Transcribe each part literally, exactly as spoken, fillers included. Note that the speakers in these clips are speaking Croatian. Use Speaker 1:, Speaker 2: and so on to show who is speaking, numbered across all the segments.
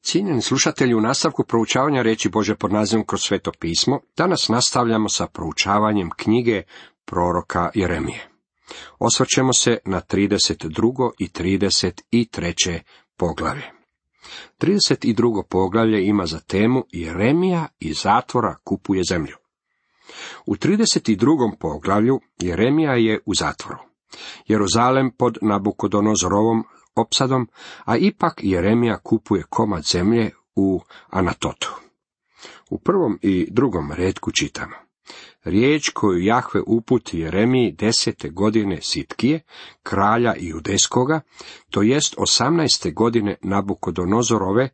Speaker 1: Cijenjeni slušatelji, u nastavku proučavanja riječi Božje pod nazivom Kroz sveto pismo, danas nastavljamo sa proučavanjem knjige proroka Jeremije. Osvrćemo se na trideset drugo i trideset treće poglavlje. trideset drugo poglavlje ima za temu Jeremija iz zatvora kupuje zemlju. U trideset drugom poglavlju Jeremija je u zatvoru. Jeruzalem pod Nabukodonozorovom opsadom, a ipak Jeremija kupuje komad zemlje u Anatotu. U prvom i drugom retku čitamo: riječ koju Jahve uputi Jeremiji desete godine Sitkije, kralja Judejskoga, to jest osamnaeste godine Nabukodonozorove.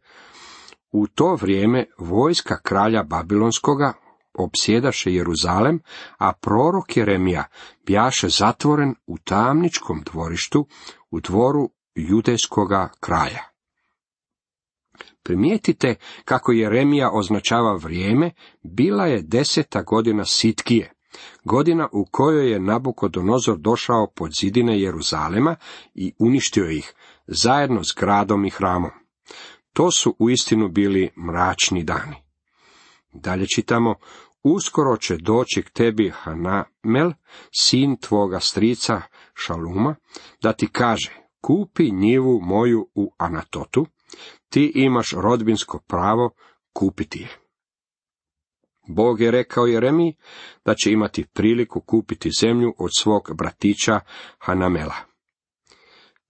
Speaker 1: U to vrijeme vojska kralja Babilonskoga opsjedaše Jeruzalem, a prorok Jeremija bjaše zatvoren u tamničkom dvorištu, u dvoru Judejskoga kraja. Primijetite kako Jeremija označava vrijeme. Bila je deseta godina Sitkije, godina u kojoj je Nabukodonozor došao pod zidine Jeruzalema i uništio ih, zajedno s gradom i hramom. To su uistinu bili mračni dani. Dalje čitamo: uskoro će doći k tebi Hanamel, sin tvoga strica Šaluma, da ti kaže: kupi njivu moju u Anatotu, ti imaš rodbinsko pravo kupiti je. Bog je rekao Jeremiji da će imati priliku kupiti zemlju od svog bratića Hanamela.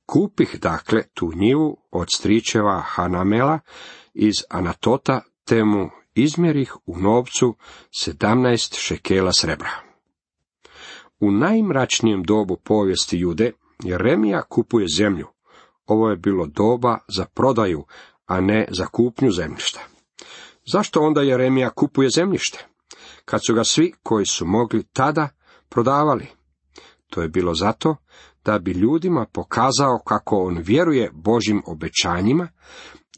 Speaker 1: Kupih dakle tu njivu od stričeva Hanamela iz Anatota, te mu izmjerih u novcu sedamnaest šekela srebra. U najmračnijem dobu povijesti Jude Jeremija kupuje zemlju. Ovo je bilo doba za prodaju, a ne za kupnju zemljišta. Zašto onda Jeremija kupuje zemljište, kad su ga svi koji su mogli tada prodavali? To je bilo zato da bi ljudima pokazao kako on vjeruje Božjim obećanjima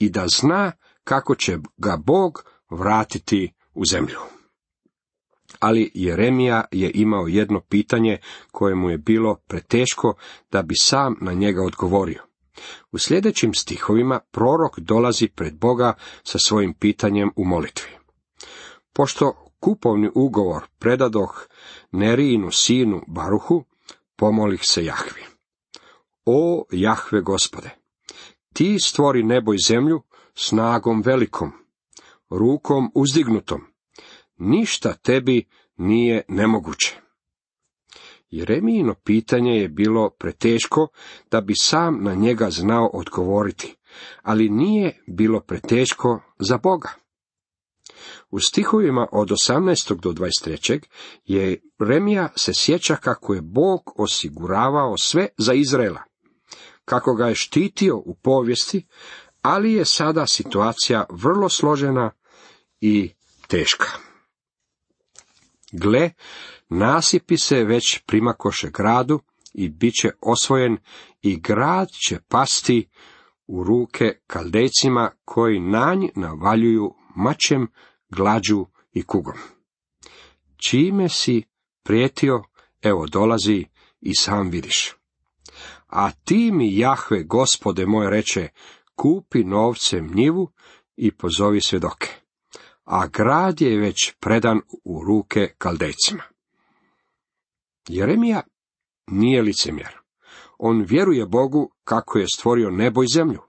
Speaker 1: i da zna kako će ga Bog vratiti u zemlju. Ali Jeremija je imao jedno pitanje koje mu je bilo preteško da bi sam na njega odgovorio. U sljedećim stihovima prorok dolazi pred Boga sa svojim pitanjem u molitvi. Pošto kupovni ugovor predadoh Nerijinu sinu Baruhu, pomolih se Jahvi. O Jahve Gospode, ti stvori nebo i zemlju snagom velikom, rukom uzdignutom. Ništa tebi nije nemoguće. Jeremijino pitanje je bilo preteško da bi sam na njega znao odgovoriti, ali nije bilo preteško za Boga. U stihovima od osamnaestog do dvadeset trećeg Jeremija se sjeća kako je Bog osiguravao sve za Izraela, kako ga je štitio u povijesti, ali je sada situacija vrlo složena i teška. Gle, nasipi se već primakoše gradu i bit će osvojen i grad će pasti u ruke Kaldejcima koji na nj navaljuju mačem, glađu i kugom. Čime si prijetio, evo dolazi i sam vidiš. A ti mi, Jahve, Gospode moj, reče: kupi novcem njivu i pozovi svjedoke. A grad je već predan u ruke Kaldejcima. Jeremija nije licemjer. On vjeruje Bogu kako je stvorio nebo i zemlju,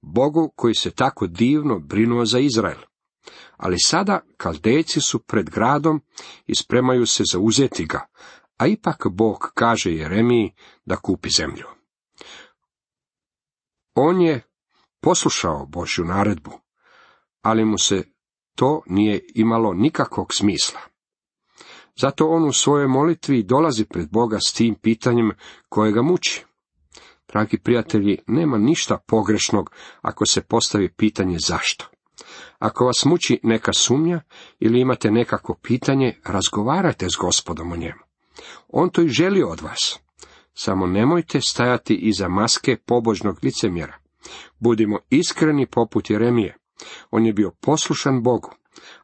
Speaker 1: Bogu koji se tako divno brinuo za Izrael. Ali sada Kaldejci su pred gradom i spremaju se zauzeti ga, a ipak Bog kaže Jeremiji da kupi zemlju. On je poslušao Božju naredbu, ali mu se to nije imalo nikakvog smisla. Zato on u svojoj molitvi dolazi pred Boga s tim pitanjem koje ga muči. Dragi prijatelji, nema ništa pogrešnog ako se postavi pitanje zašto. Ako vas muči neka sumnja ili imate nekako pitanje, razgovarajte s Gospodom o njemu. On to i želi od vas. Samo nemojte stajati iza maske pobožnog licemjera. Budimo iskreni poput Jeremije. On je bio poslušan Bogu,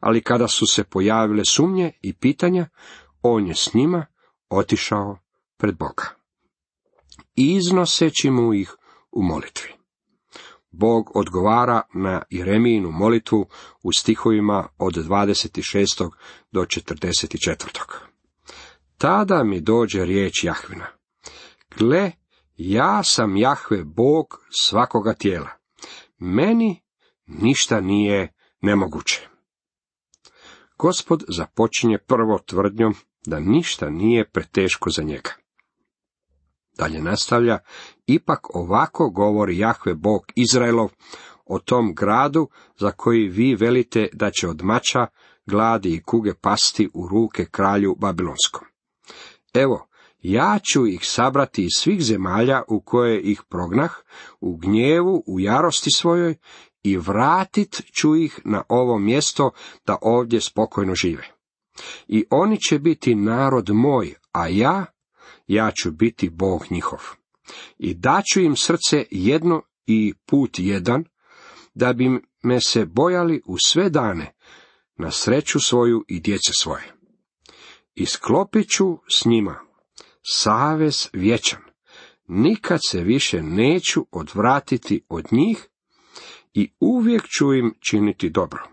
Speaker 1: ali kada su se pojavile sumnje i pitanja, on je s njima otišao pred Boga, iznoseći mu ih u molitvi. Bog odgovara na Jeremijinu molitvu u stihovima od dvadeset šest do četrdeset četiri. Tada mi dođe riječ Jahvina. Gle, ja sam Jahve, Bog svakoga tijela. Meni ništa nije nemoguće. Gospod započinje prvo tvrdnjom da ništa nije preteško za njega. Dalje nastavlja, ipak ovako govori Jahve Bog Izraelov o tom gradu za koji vi velite da će od mača, gladi i kuge pasti u ruke kralju Babilonskom. Evo, ja ću ih sabrati iz svih zemalja u koje ih prognah, u gnjevu, u jarosti svojoj, i vratit ću ih na ovo mjesto da ovdje spokojno žive. I oni će biti narod moj, a ja, ja ću biti Bog njihov. I daću im srce jedno i put jedan, da bi me se bojali u sve dane, na sreću svoju i djece svoje. I sklopit ću s njima savez vječan, nikad se više neću odvratiti od njih i uvijek ću im činiti dobro.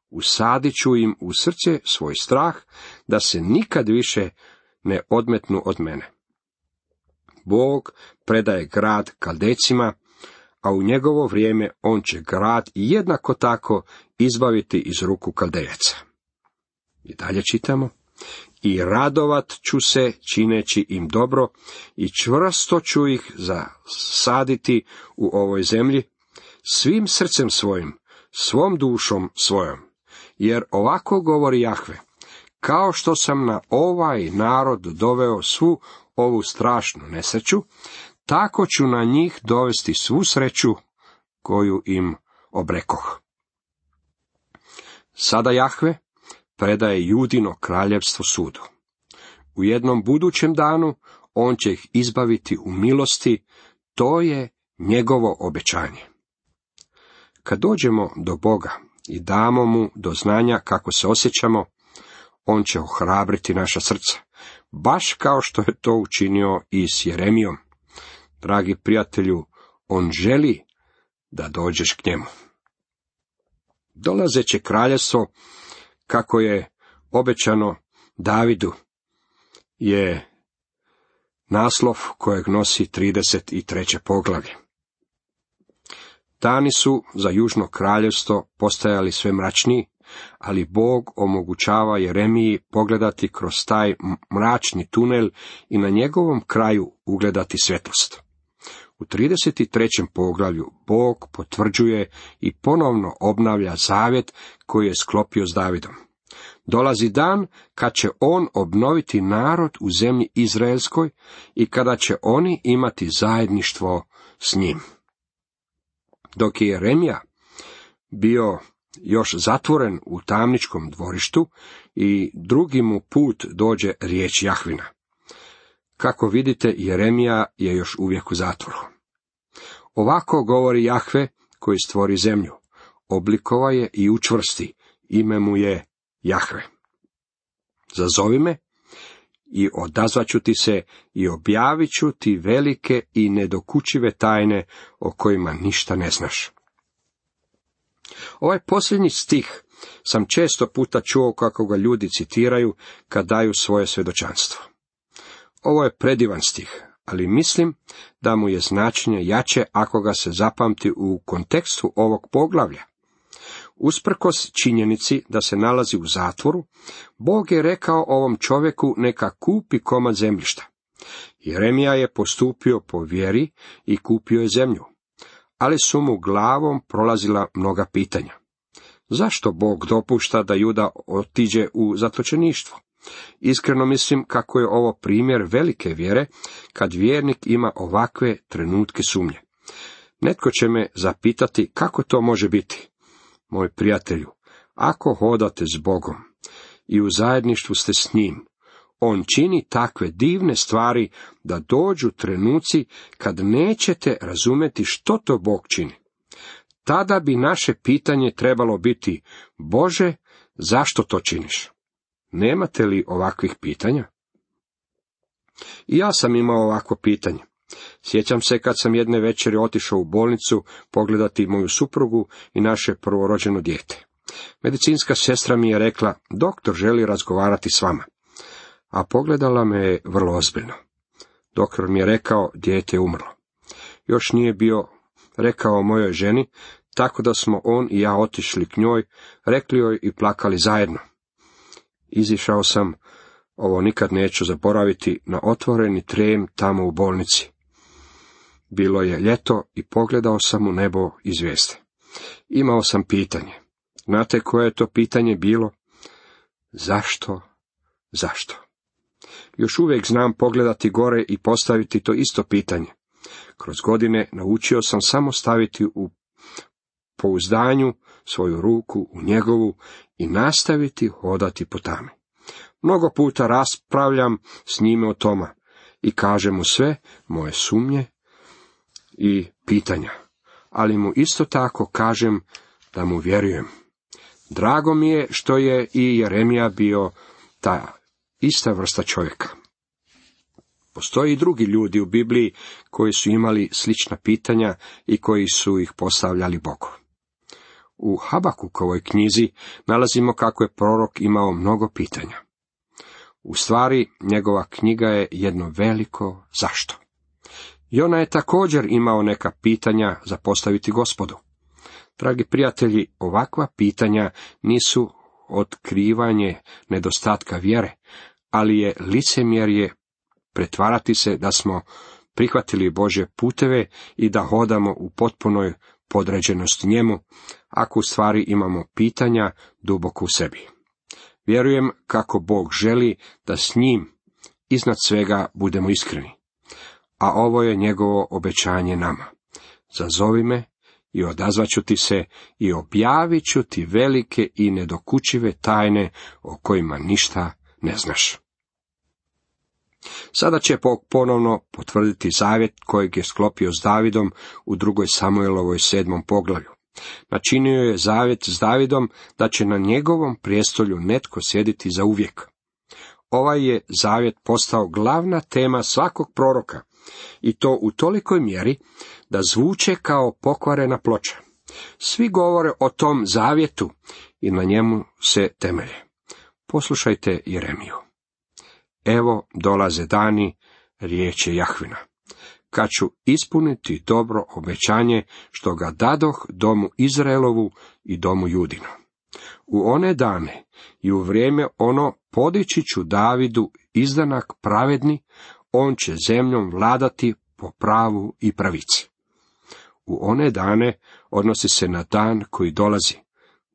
Speaker 1: Usadit ću im u srce svoj strah, da se nikad više ne odmetnu od mene. Bog predaje grad Kaldecima, a u njegovo vrijeme on će grad jednako tako izbaviti iz ruku Kaldejaca. I dalje čitamo. I radovat ću se čineći im dobro i čvrsto ću ih zasaditi u ovoj zemlji, svim srcem svojim, svom dušom svojom. Jer ovako govori Jahve, kao što sam na ovaj narod doveo svu ovu strašnu nesreću, tako ću na njih dovesti svu sreću koju im obrekoh. Sada Jahve predaje Judino kraljevstvo sudu. U jednom budućem danu on će ih izbaviti u milosti, to je njegovo obećanje. Kad dođemo do Boga i damo mu do znanja kako se osjećamo, on će ohrabriti naša srca, baš kao što je to učinio i s Jeremijom. Dragi prijatelju, on želi da dođeš k njemu. Dolazeće kraljevstvo, kako je obećano Davidu, je naslov kojeg nosi trideset treće poglavlje. Dani su za južno kraljevstvo postajali sve mračniji, ali Bog omogućava Jeremiji pogledati kroz taj mračni tunel i na njegovom kraju ugledati svjetlost. U trideset trećem poglavlju Bog potvrđuje i ponovno obnavlja zavjet koji je sklopio s Davidom. Dolazi dan kad će on obnoviti narod u zemlji izraelskoj i kada će oni imati zajedništvo s njim. Dok je Jeremija bio još zatvoren u tamničkom dvorištu i drugi mu put dođe riječ Jahvina. Kako vidite, Jeremija je još uvijek u zatvoru. Ovako govori Jahve koji stvori zemlju, oblikova je i učvrsti, ime mu je Jahve. Zazovi me i odazvaću ti se i objavit ću ti velike i nedokučive tajne o kojima ništa ne znaš. Ovaj posljednji stih sam često puta čuo kako ga ljudi citiraju kad daju svoje svjedočanstvo. Ovo je predivan stih, ali mislim da mu je značenje jače ako ga se zapamti u kontekstu ovog poglavlja. Usprkos činjenici da se nalazi u zatvoru, Bog je rekao ovom čovjeku neka kupi komad zemljišta. Jeremija je postupio po vjeri i kupio je zemlju, ali su mu glavom prolazila mnoga pitanja. Zašto Bog dopušta da Juda otiđe u zatočeništvo? Iskreno mislim kako je ovo primjer velike vjere, kad vjernik ima ovakve trenutke sumnje. Netko će me zapitati kako to može biti. Moj prijatelju, ako hodate s Bogom i u zajedništvu ste s njim, on čini takve divne stvari da dođu trenuci kad nećete razumjeti što to Bog čini. Tada bi naše pitanje trebalo biti: Bože, zašto to činiš? Nemate li ovakvih pitanja? I ja sam imao ovakvo pitanje. Sjećam se kad sam jedne večeri otišao u bolnicu pogledati moju suprugu i naše prvorođeno dijete. Medicinska sestra mi je rekla, doktor želi razgovarati s vama, a pogledala me je vrlo ozbiljno. Doktor mi je rekao, dijete je umrlo. Još nije bio rekao mojoj ženi, tako da smo on i ja otišli k njoj, rekli joj i plakali zajedno. Izišao sam, ovo nikad neću zaboraviti, na otvoreni trem tamo u bolnici. Bilo je ljeto i pogledao sam u nebo i zvijezde. Imao sam pitanje. Znate koje je to pitanje bilo? Zašto? Zašto? Još uvijek znam pogledati gore i postaviti to isto pitanje. Kroz godine naučio sam samo staviti u pouzdanju svoju ruku u njegovu i nastaviti hodati po tami. Mnogo puta raspravljam s njime o tome i kažem mu sve moje sumnje i pitanja, ali mu isto tako kažem da mu vjerujem. Drago mi je što je i Jeremija bio ta ista vrsta čovjeka. Postoji i drugi ljudi u Bibliji koji su imali slična pitanja i koji su ih postavljali Bogu. U Habakukovoj knjizi nalazimo kako je prorok imao mnogo pitanja. U stvari, njegova knjiga je jedno veliko zašto. Jona je također imao neka pitanja za postaviti Gospodu. Dragi prijatelji, ovakva pitanja nisu otkrivanje nedostatka vjere, ali je licemjerje pretvarati se da smo prihvatili Božje puteve i da hodamo u potpunoj podređenosti njemu, ako u stvari imamo pitanja duboko u sebi. Vjerujem kako Bog želi da s njim iznad svega budemo iskreni, a ovo je njegovo obećanje nama. Zazovi me i odazvaću ti se i objavit ću ti velike i nedokučive tajne o kojima ništa ne znaš. Sada će Bog ponovno potvrditi zavjet kojeg je sklopio s Davidom u drugoj Samuelovoj sedmom poglavlju. Načinio je zavjet s Davidom da će na njegovom prijestolju netko sjediti za uvijek. Ovaj je zavjet postao glavna tema svakog proroka, i to u tolikoj mjeri da zvuče kao pokvarena ploča. Svi govore o tom zavjetu i na njemu se temelje. Poslušajte Jeremiju. Evo dolaze dani, riječ je Jahvina, kad ću ispuniti dobro obećanje što ga dadoh domu Izraelovu i domu Judinu. U one dane i u vrijeme ono podići ću Davidu izdanak pravedni, on će zemljom vladati po pravu i pravici. U one dane odnosi se na dan koji dolazi,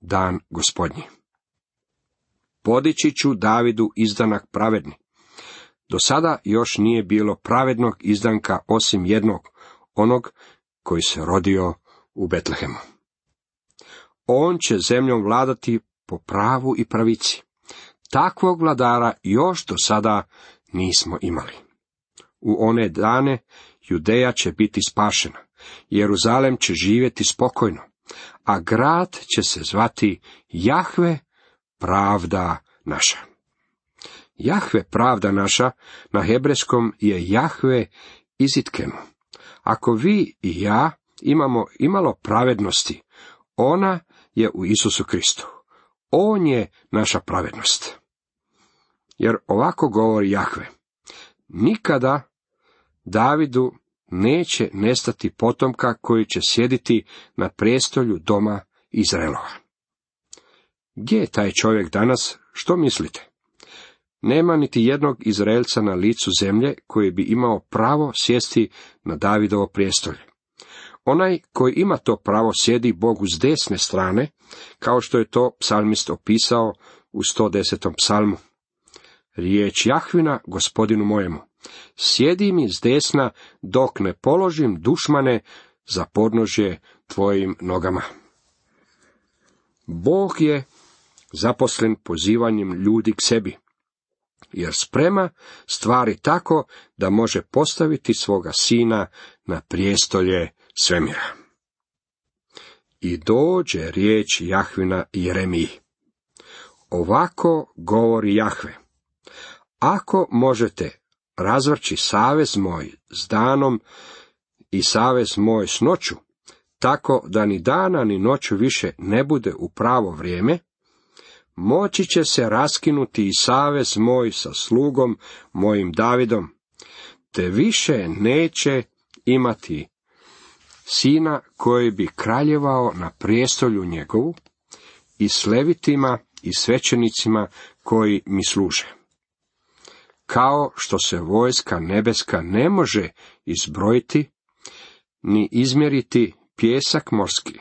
Speaker 1: dan Gospodnji. Podići ću Davidu izdanak pravedni. Do sada još nije bilo pravednog izdanka osim jednog, onog koji se rodio u Betlehemu. On će zemljom vladati po pravu i pravici. Takvog vladara još do sada nismo imali. U one dane Judeja će biti spašena, Jeruzalem će živjeti spokojno, a grad će se zvati Jahve, pravda naša. Jahve, pravda naša, na hebrejskom je Jahve Izitkenu. Ako vi i ja imamo imalo pravednosti, ona je u Isusu Kristu. On je naša pravednost. Jer ovako govori Jahve: nikada Davidu neće nestati potomka koji će sjediti na prijestolju doma Izraelova. Gdje je taj čovjek danas, što mislite? Nema niti jednog Izraelca na licu zemlje koji bi imao pravo sjesti na Davidovo prijestolje. Onaj koji ima to pravo sjedi Bogu s desne strane, kao što je to psalmist opisao u sto desetom psalmu. Riječ Jahvina Gospodinu mojemu: sjedi mi s desna dok ne položim dušmane za podnožje tvojim nogama. Bog je zaposlen pozivanjem ljudi k sebi, jer sprema stvari tako da može postaviti svoga sina na prijestolje svemira. I dođe riječ Jahvina Jeremiji. Ovako govori Jahve: ako možete razvrći savez moj s danom i savez moj s noću, tako da ni dana ni noću više ne bude u pravo vrijeme, moći će se raskinuti i savez moj sa slugom mojim Davidom, te više neće imati sina koji bi kraljevao na prijestolju njegovu, i s levitima i svećenicima koji mi služe. Kao što se vojska nebeska ne može izbrojiti, ni izmjeriti pijesak morski,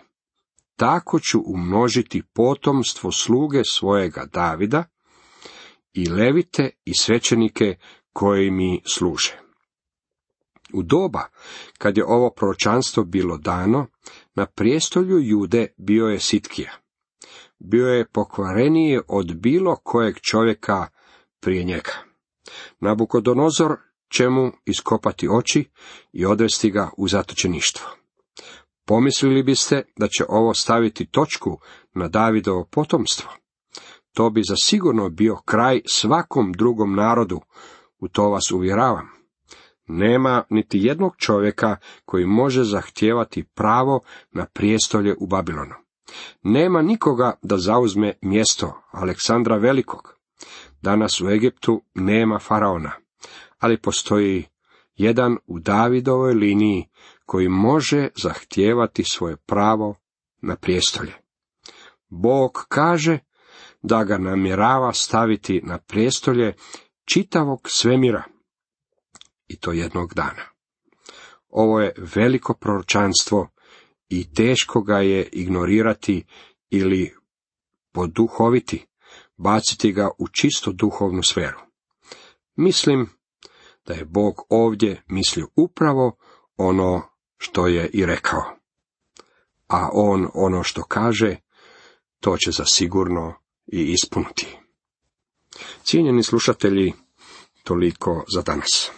Speaker 1: tako ću umnožiti potomstvo sluge svojega Davida i levite i svećenike koji mi služe. U doba kad je ovo proročanstvo bilo dano, na prijestolju Jude bio je Sitkija. Bio je pokvareniji od bilo kojeg čovjeka prije njega. Nabukodonozor će mu iskopati oči i odvesti ga u zatočeništvo. Pomislili biste da će ovo staviti točku na Davidovo potomstvo? To bi zasigurno bio kraj svakom drugom narodu, u to vas uvjeravam. Nema niti jednog čovjeka koji može zahtijevati pravo na prijestolje u Babilonu. Nema nikoga da zauzme mjesto Aleksandra Velikog. Danas u Egiptu nema faraona, ali postoji jedan u Davidovoj liniji koji može zahtijevati svoje pravo na prijestolje. Bog kaže da ga namjerava staviti na prijestolje čitavog svemira, i to jednog dana. Ovo je veliko proročanstvo i teško ga je ignorirati ili poduhoviti, baciti ga u čisto duhovnu sferu. Mislim da je Bog ovdje mislio upravo ono što je i rekao. A on ono što kaže, to će zasigurno i ispuniti. Cijenjeni slušatelji, toliko za danas.